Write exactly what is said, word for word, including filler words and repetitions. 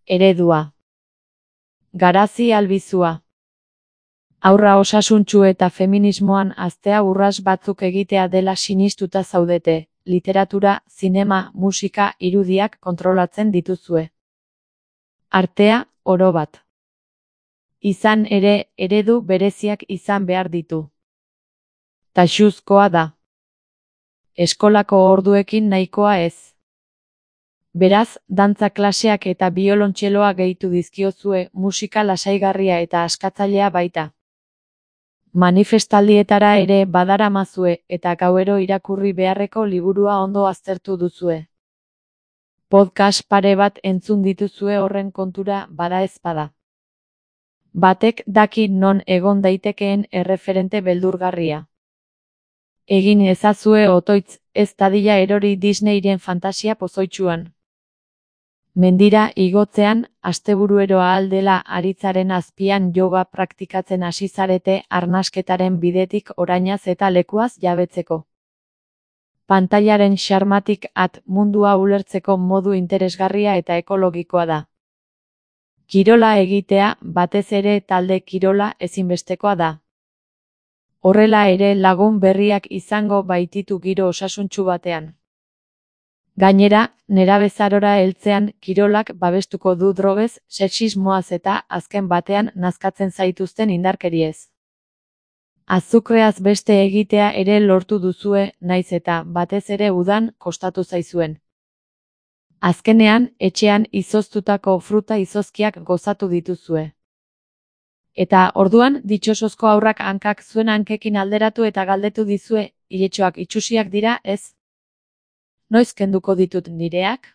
Eredua. Garazi albizua. Haurra osasuntsu eta feminismoan haztea urrats batzuk egitea dela sinistuta zaudete, literatura, zinema, musika, irudiak kontrolatzen dituzue. Artea, oro bat. Izan ere, eredu bereziak izan behar ditu. Taxuzkoa da. Eskolako orduekin nahikoa ez. Beraz, dantza klaseak eta biolontxeloa gehitu dizkiozue, musika lasaigarria eta askatzailea baita. Manifestaldietara ere badaramazue eta gauero irakurri beharreko liburua ondo aztertu duzue. Podcast pare bat entzun dituzue horren kontura bada ezpada. Batek daki non egon daitekeen erreferente beldurgarria. Egin ezazue otoitz, ez dadila erori Disneyren fantasia pozoitsuan. Mendira igotzean, asteburuero ahal dela aritzaren azpian yoga praktikatzen hasi zarete arnasketaren bidetik orainaz eta lekuaz jabetzeko. Pantailaren xarmatik at mundua ulertzeko modu interesgarria eta ekologikoa da. Kirola egitea, batez ere talde kirola ezinbestekoa da. Horrela ere lagun berriak izango baititu giro osasuntsu batean. Gainera, nerabezarora heltzean kirolak babestuko du drogez, sexismoaz eta azken batean nazkatzen zaituzten indarkeriez. Azukreaz beste egitea ere lortu duzue, naiz eta batez ere udan kostatu zaizuen. Azkenean, etxean izoztutako fruta izozkiak gozatu dituzue. Eta orduan ditxosozko haurrak hankak zuen hankekin alderatu eta galdetu dizue, iletxoak itsusiak dira, ez? Noiz kenduko ditut nireak?